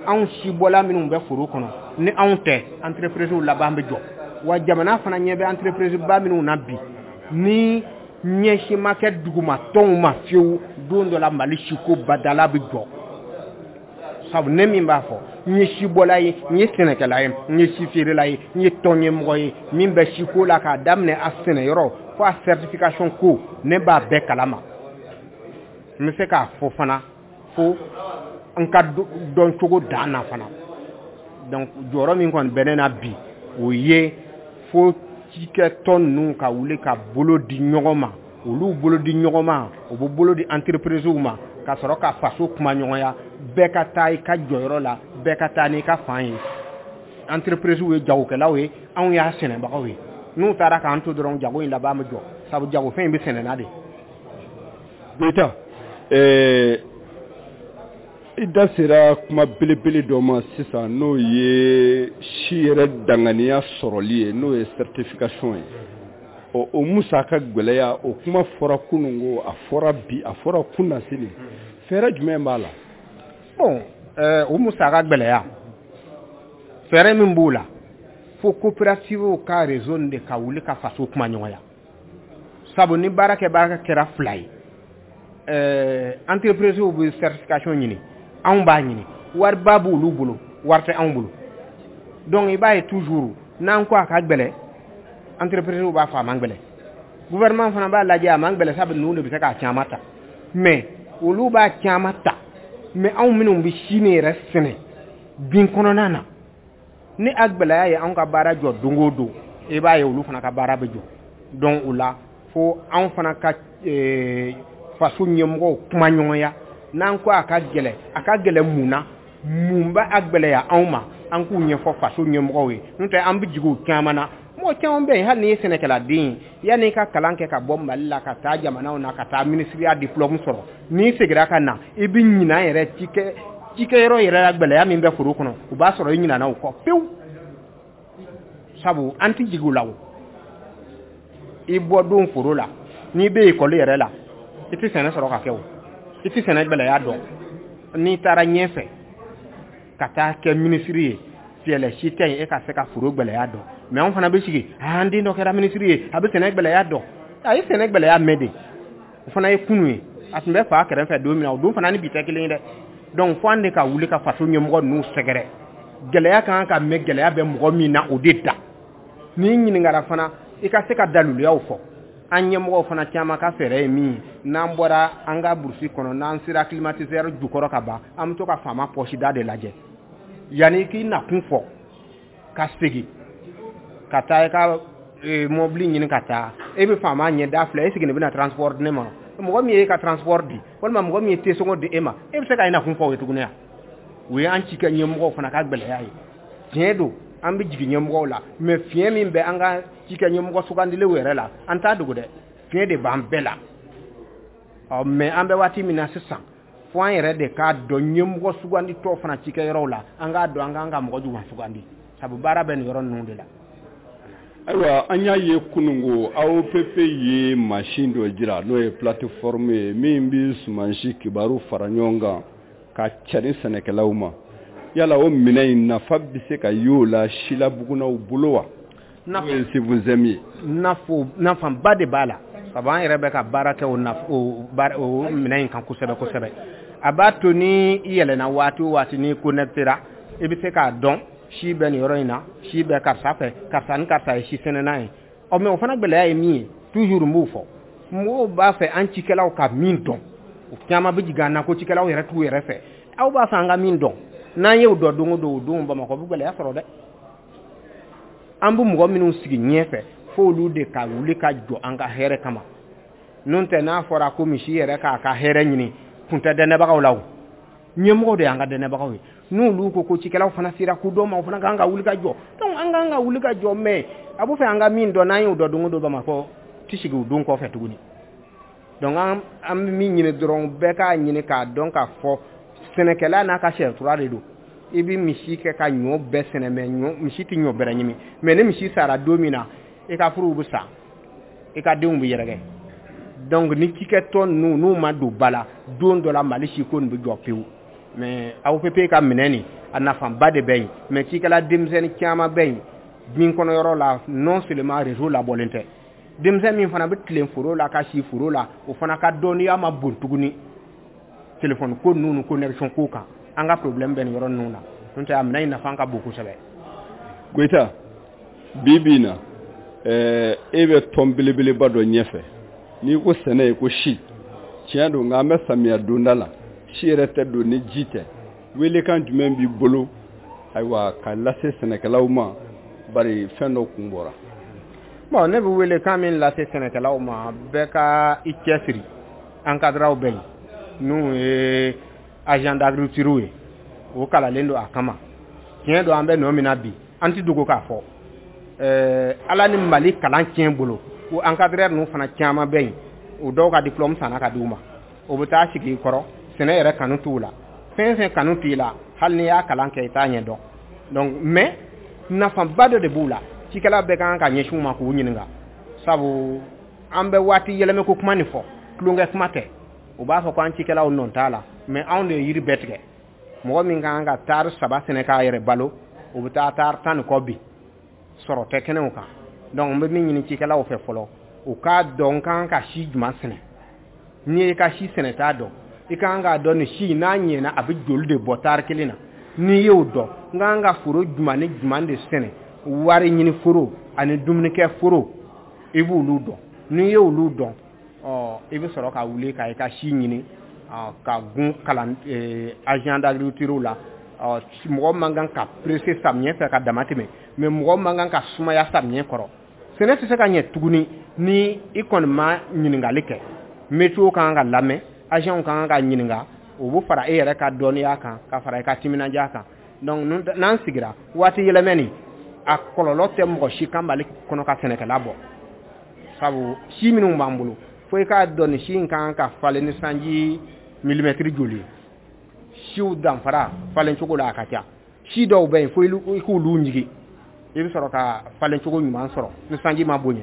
anw sibɔla minnu bɛ foro kɔnɔ, ni anw tɛ, entreprise laban bɛ jɔ. Wa jamana fana ɲɛ bɛ entreprise ba minnu na bi, ni ɲɛsin ma kɛ duguma tɔnw ma fiyewu, don dɔ la Mali siko badala bɛ jɔ. Sabu ne min b'a fɔ, n ye sibɔla ye, n ye sɛnɛkɛla ye, n ye si feerela ye, n ye tɔn ɲɛmɔgɔ ye min bɛ siko la, k'a daminɛ a sɛnɛyɔrɔ fo a certification ko, ne b'a bɛɛ kalama. N bɛ se k'a fɔ fana fo n ka dɔncogo dan na fana. Donc jɔyɔrɔ min kɔni bɛ ne na bi, o ye fo cikɛtɔn ninnu ka wuli ka bolo di ɲɔgɔn ma. Olu bolo di ɲɔgɔn ma, u bɛ bolo di entreprise ma, ka sɔrɔ ka faso kuma ɲɔgɔnya, bɛɛ ka taa i ka jɔyɔrɔ la, bɛɛ ka taa n'i ka fan ye. Entreprise ye jagokɛlaw ye, anw y'a sɛnɛbagaw ye. N'u taara k'an to dɔrɔn, jago in laban bɛ jɔ, sabu jagofɛn in bɛ sɛnɛna de. Goyita, ɛɛ i da sera kuma belebele dɔ ma sisan, n'o ye si yɛrɛ danganiya sɔrɔli ye, n'o ye certification ye. Ɔ, o musaka gɛlɛya, o kuma fɔra kununko, a fɔra bi, a fɔra kunnasini, fɛɛrɛ jumɛn b'a la? Bon, ɛɛ o musaka gɛlɛya, fɛɛrɛ min b'o la, fo coopérative ka réseau de ka wuli ka faso kuma ɲɔgɔnya. Sabu ni baara kɛ baara kɛra fila ye, ɛɛ entreprise bɛ certification ɲini, anw b'a ɲini, wariba b'olu bolo, wari tɛ anw bolo. Donc i b'a ye toujours, n'an ko a ka gɛlɛn, entreprise b'a fɔ a man gɛlɛn, gouvernement fana b'a lajɛ a man gɛlɛn, sabu ninnu de bɛ se k'a caman ta. Mais olu b'a caman ta, mais anw minnu bɛ si nin yɛrɛ sɛnɛ bin kɔnɔna na, ni a gɛlɛya ye anw ka baara jɔ don o don, i b'a ye olu fana ka baara bɛ jɔ. Donc o la, fo anw fana ka faso ɲɛmɔgɔw kuma ɲɔgɔnya. N'an ko a ka gɛlɛn, a ka gɛlɛn mun na? Mun b'a a gɛlɛya anw ma? An k'u ɲɛfɔ faso ɲɛmɔgɔw ye. N'o tɛ, an bɛ jigin o caman na. Mɔgɔ caman bɛ yen, hali n'i ye sɛnɛkɛladen ye, yanni i ka kalan kɛ ka bɔ Mali la ka taa jamanaw na, ka taa minisiriya diplôme sɔrɔ, n'i seginna ka na, i bɛ ɲinan yɛrɛ cikɛ cikɛyɔrɔ yɛrɛ la, gɛlɛya min bɛ foro kɔnɔ, o b'a sɔrɔ i ɲinana o kɔ pewu. Sabu an tɛ jigin o la. O i bɔ don foro la, n'i bɛ ekɔli yɛrɛ la, i tɛ sɛnɛ sɔrɔ ka kɛ, o i tɛ sɛnɛ gɛlɛya dɔn. N'i taara ɲɛfɛ ka taa kɛ minisiri ye, fiyɛlɛ si tɛ yen e ka se ka foro gɛlɛya dɔn. Mais anw fana bɛ sigi, an den dɔ kɛra minisiri ye, a bɛ sɛnɛ gɛlɛya dɔn. A ye sɛnɛ gɛlɛya mɛn de, o fana ye kunu ye, a tun bɛ fa kɛrɛfɛ don min na, o don fana ni bi tɛ kelen ye dɛ. Donc fo an de ka wuli ka faso ɲɛmɔgɔ ninnu sɛgɛrɛ. Gɛlɛya kan ka mɛn, gɛlɛya bɛ mɔgɔ min na, o de da n'i ɲininkara fana, i ka se ka daluyaw fɔ. An ɲɛmɔgɔw fana caman ka fɛɛrɛ ye min ye, n'an bɔra an ka brousse kɔnɔ, n'an sera climatiseur jukɔrɔ ka ban, an bɛ to ka faama poche da de lajɛ. Yanni k'i nakun fɔ ka segin ka taa i ka mobili ɲini ka taa, e bɛ faama ɲɛ da filɛ, e sigilen bɛna transport di ne ma. Mɔgɔ min ye e ka transport di, walima mɔgɔ min ye tesɔngɔ di e ma, e bɛ se ka i nakun fɔ o ye tuguni wa? O ye an cikɛ ɲɛmɔgɔw fana ka gɛlɛya ye. Tiɲɛ don, an bɛ jigin ɲɛmɔgɔw la, mais fiɲɛ min bɛ an ka cikɛ ɲɛmɔgɔ sugandilenw yɛrɛ la, an t'a dogo dɛ, fiɲɛ de b'an bɛɛ la. Ɔ mais an bɛ waati min na sisan, fo an yɛrɛ de k'a dɔn ɲɛmɔgɔ sugandi tɔ fana cikɛyɔrɔw la, an k'a dɔn an k'an ka mɔgɔ jumɛn sugandi, sabu baara bɛ nin yɔrɔ ninnu de la. Ayiwa, an y'a ye kununko A O P P ye mansin dɔ jira, n'o ye plateforme ye min bɛ sumansi kibaru fara ɲɔgɔn kan ka cari sɛnɛkɛlaw ma. Yala o minɛn in nafa bɛ se ka y'o la silabugunaw bolo wa, n'o ye C V S M ye? Nafo nafaba de b'a la, sabu an yɛrɛ bɛ ka baara kɛ o o o minɛn in kan kosɛbɛ kosɛbɛ. A b'a to ni i yɛlɛnna waati o waati, n'i connecté ra, i bɛ se k'a dɔn si bɛ nin yɔrɔ in na, si bɛ karisa fɛ, karisa ni karisa ye si sɛnɛna ye. Ɔ mais o fana gɛlɛya ye min ye, toujours n b'o fɔ, mɔgɔw b'a fɛ an cikɛlaw ka min dɔn, o caman bɛ jigin an na ko cikɛlaw yɛrɛ t'u yɛrɛ fɛ. Aw b'a fɛ an ka min dɔn, n'an y'o dɔn don o don, o don Bamakɔ bɛ gɛlɛya sɔrɔ dɛ. An bɛ mɔgɔ minnu sigi ɲɛfɛ, f'olu de ka wuli ka jɔ an ka hɛrɛ kama. N'o tɛ, n'a fɔra ko misi yɛrɛ k'a ka hɛrɛ ɲini, kun tɛ dɛnɛbagaw la. O ɲɛmɔgɔw de y'an ka dɛnɛbagaw ye. N'olu ko ko cikɛlaw fana sera ko dɔ ma, o fana kan ka wuli ka jɔ. Donc an kan ka wuli ka jɔ, mais a b'o fɛ an ka min dɔn, n'an y'o dɔn don o don, Bamakɔ ti sigi o don kɔfɛ tuguni. Donc an an bɛ min ɲini dɔrɔn, bɛɛ k'a ɲini k'a dɔn k'a fɔ sɛnɛkɛla n'a ka sariya de don. I bɛ misi kɛ ka ɲɔ bɛɛ sɛnɛ, mais ɲɔ misi tɛ ɲɔ bɛrɛ ɲimi. Mais ni misi sara don min na, i ka furuw bɛ sa, i ka denw bɛ yɛrɛkɛ. Donc ni cikɛtɔn ninnu n'u ma don ba la, don dɔ la Mali si ko nin bɛ jɔ pewu. Mais A O P P ka minɛ nin, a nafaba de bɛ yen, mais cikɛla denmisɛnnin caman bɛ yen bin kɔnɔyɔrɔ la. Non seulement réseau labɔlen tɛ, denmisɛn min fana bɛ tilen foro la ka si foro la, o fana ka dɔnniya ma bon tuguni téléphone ko ninnu ni connexion ko kan. An ka problème bɛ nin yɔrɔ ninnu na. N'o tɛ, a minɛn in nafa ka bon kosɛbɛ. Goyita, bi bi in na, ɛɛ e bɛ tɔn belebeleba dɔ ɲɛfɛ. N'i ko sɛnɛ, i ko si. Tiɲɛ don, nka an bɛ samiya donda la, si yɛrɛ tɛ don ni ji tɛ. Welekan jumɛn b'i bolo, ayiwa, ka lase sɛnɛkɛlaw ma, bari fɛn dɔ kun bɔra? Bon, ne bɛ welekan min lase sɛnɛkɛlaw ma, bɛɛ ka i cɛsiri. Encadreurs bɛ yen, n'u ye agent d'agriculture ye, o kalalen don a kama. Tiɲɛ don, an bɛ nɔ min na bi, an tɛ dogo k'a fɔ, ɛɛ ala ni Mali kalan tiɲɛ bolo, o encadreur ninnu fana caman bɛ yen, o dɔw ka diplôme sanna ka di u ma, o bɛ taa sigi i kɔrɔ. Sɛnɛ yɛrɛ kanu t'u la. Fɛn fɛn kanu t'i la, hali n'i y'a kalan kɛ, i t'a ɲɛ dɔn. Donc mais nafaba dɔ de b'u la, cikɛla bɛɛ kan ka ɲɛsin u ma k'u ɲininka, sabu an bɛ waati yɛlɛmɛ ko kuma nin fɔ, tulonkɛ kuma tɛ. U b'a fɔ ko an cikɛlaw nɔ t'a la, mais anw de ye yiri bɛɛ tigɛ. Mɔgɔ min kan ka taari saba sɛnɛ k'a yɛrɛ balo, o bɛ taa taari tan ni kɔ bi, sɔrɔ tɛ kɛnɛw kan. Donc n bɛ min ɲini cikɛlaw fɛ fɔlɔ, u k'a dɔn n kan ka si jumɛn sɛnɛ. N'i ye ka si sɛnɛ t'a dɔn, i kan k'a dɔn nin si n'a ɲɛna, a bɛ joli de bɔ taari kelen na. N'i y'o dɔn, n kan ka foro jumɛn ni jumɛn de sɛnɛ, wari ɲini foro ani dumunikɛ foro, i b'olu dɔn. N'i y'olu dɔn, ɔ i bɛ sɔrɔ ka wuli ka i ka si ɲini ka gun kalan agent d'agriculture la. Ɔ mɔgɔ man kan ka presser samiyɛ fɛ ka dama tɛmɛ, mais mɔgɔ man kan ka sumaya samiyɛ kɔrɔ. Sɛnɛ tɛ se ka ɲɛ tuguni ni i kɔni ma ɲininkali kɛ. Météo kan ka lamɛn, agent kan ka ɲininka, o bɛ fara e yɛrɛ ka dɔnniya kan, ka fara i ka timinandiya kan. Donc n'an sigira waati yɛlɛmɛ nin, a kɔlɔlɔ tɛ mɔgɔ si kan Mali kɔnɔ ka sɛnɛkɛla bɔ, sabu si minnu b'an bolo, fo i k'a dɔn nin si in kan ka falen ni sanji milimɛtiri joli ye. Siw danfara falen cogo la, a ka ca. Si dɔw bɛ yen, fo i k'olu ɲigin, i bɛ sɔrɔ ka falen cogo ɲuman sɔrɔ ni sanji ma bonya.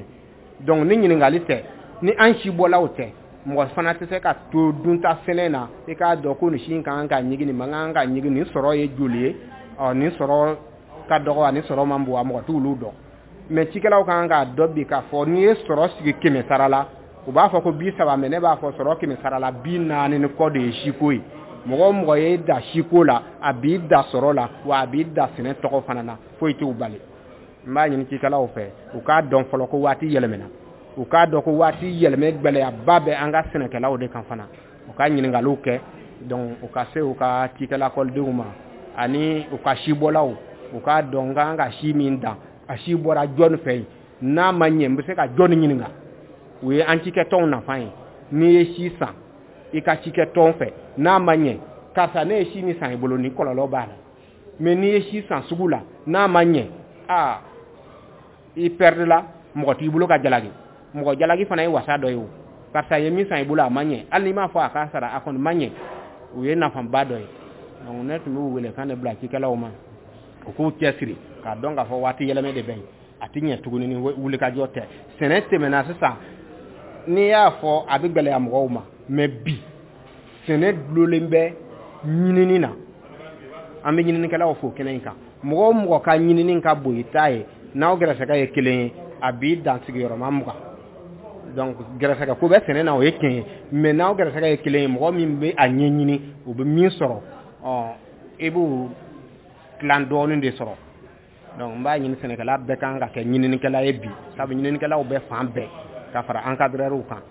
Donc ni ɲininkali tɛ, ni an si bɔlaw tɛ, mɔgɔ fana tɛ se ka to dunta sɛnɛ na. I k'a dɔn ko nin si in kan ka ɲigin, nin man kan ka ɲigin, nin sɔrɔ ye joli ye, ɔ nin sɔrɔ ka dɔgɔ, ani sɔrɔ man bon, a mɔgɔ t'olu dɔn. Mais cikɛlaw kan k'a dɔn bi k'a fɔ n'i ye sɔrɔ sigi kɛmɛ sara la, u b'a fɔ ko bi saba, mais ne b'a fɔ sɔrɔ kɛmɛ sara la, bi naani ni kɔ de ye siko ye. Mɔgɔ o mɔgɔ ye da siko la, a b'i da sɔrɔ la, wa a b'i da sɛnɛ tɔgɔ fana na, foyi t'u bali. N b'a ɲini cikɛlaw fɛ, u k'a dɔn fɔlɔ ko waati yɛlɛmɛna, u k'a dɔn ko waati yɛlɛmɛ gɛlɛyaba bɛ an ka sɛnɛkɛlaw de kan fana. U ka ɲininkaliw kɛ, donc u ka se u ka cikɛlakɔlidenw ma ani u ka sibɔlaw, u k'a dɔn n kan ka si min dan, a si bɔra jɔnni fɛ yen, n'a ma ɲɛ, n bɛ se ka jɔnni ɲininka. O ye an cikɛtɔnw nafa ye. N'i ye si san i ka cikɛtɔn fɛ, n'a ma ɲɛ, karisa, ne ye si min san i bolo, ni kɔlɔlɔ b'a la. Mais n'i ye si san sugu la, n'a ma ɲɛ, aa i perdre la, mɔgɔ t'i bolo ka jalaki. Mɔgɔ jalaki fana ye wasa dɔ ye. O Karisa ye min san i bolo, a ma ɲɛ. Hali n'i m'a fɔ a k'a sara, a kɔni ma ɲɛ. O ye nafaba dɔ ye. Donc ne tun b'u wele kan de bila cikɛlaw ma, u k'u cɛsiri k'a dɔn k'a fɔ waati yɛlɛmɛ de bɛ yen, a tɛ ɲɛ tuguni ni wulikajɔ tɛ. Sɛnɛ tɛmɛna sisan, n'i y'a fɔ a bɛ gɛlɛya mɔgɔw ma, mais bi sɛnɛ dulonlen bɛ ɲinini na. An bɛ ɲininikɛlaw fo kɛnɛ in kan. Mɔgɔ o mɔgɔ ka ɲinini ka bon i ta ye, n'aw gɛrɛsɛgɛ ye kelen ye, a b'i dan sigiyɔrɔma mugan. Donc gɛrɛsɛgɛ ko bɛ sɛnɛ na, o ye tiɲɛ ye, mais n'aw gɛrɛsɛgɛ ye kelen ye, mɔgɔ min bɛ a ɲɛɲini, o bɛ min sɔrɔ, ɔ i b'o tilan dɔɔnin de sɔrɔ. Donc n b'a ɲini sɛnɛkɛla bɛɛ kan ka kɛ ɲininikɛla ye bi, sabu ɲininikɛlaw bɛ fan bɛɛ ka fara encadreurs kan.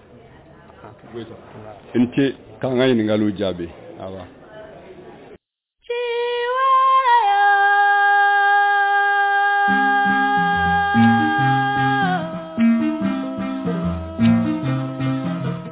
I ni ce k'an ka ɲininkaliw jaabi. Awa.